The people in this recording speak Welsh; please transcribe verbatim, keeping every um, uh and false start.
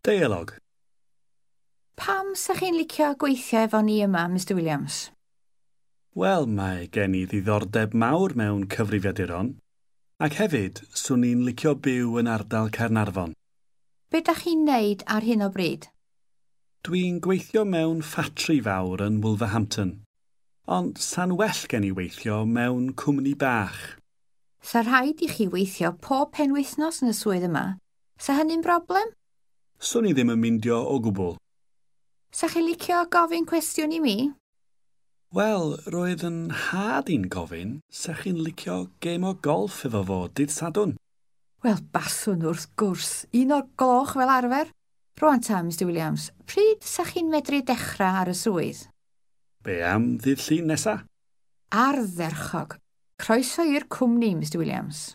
Deialog. Pam sa chi'n licio gweithio efo ni yma, Mr Williams? Wel, mae gen i ddiddordeb mawr mewn cyfrifiaduron, ac hefyd swn i'n licio byw yn ardal Caernarfon. Be da chi'n neud ar hyn o bryd? Dwi'n gweithio mewn ffatri fawr yn Wolverhampton, ond sa'n well gen i weithio mewn cwmni bach. Sa rhaid i chi weithio pob penwythnos yn y swydd yma. Sa hynny'n broblem? Swn i ddim yn mindio o gwbl. Sa chi licio gofyn cwestiwn i mi? Wel, roedd yn nhad i'n gofyn sa chi'n licio gêm o golff efo fo dydd Sadwrn. Wel, baswn wrth gwrs. Un o'r gloch fel arfer. Rwan ta, Mr Williams, pryd sa chi'n medru dechrau ar y swydd? Be am ddydd Llun nesa? Ardderchog. Croeso i'r cwmni, Mr Williams.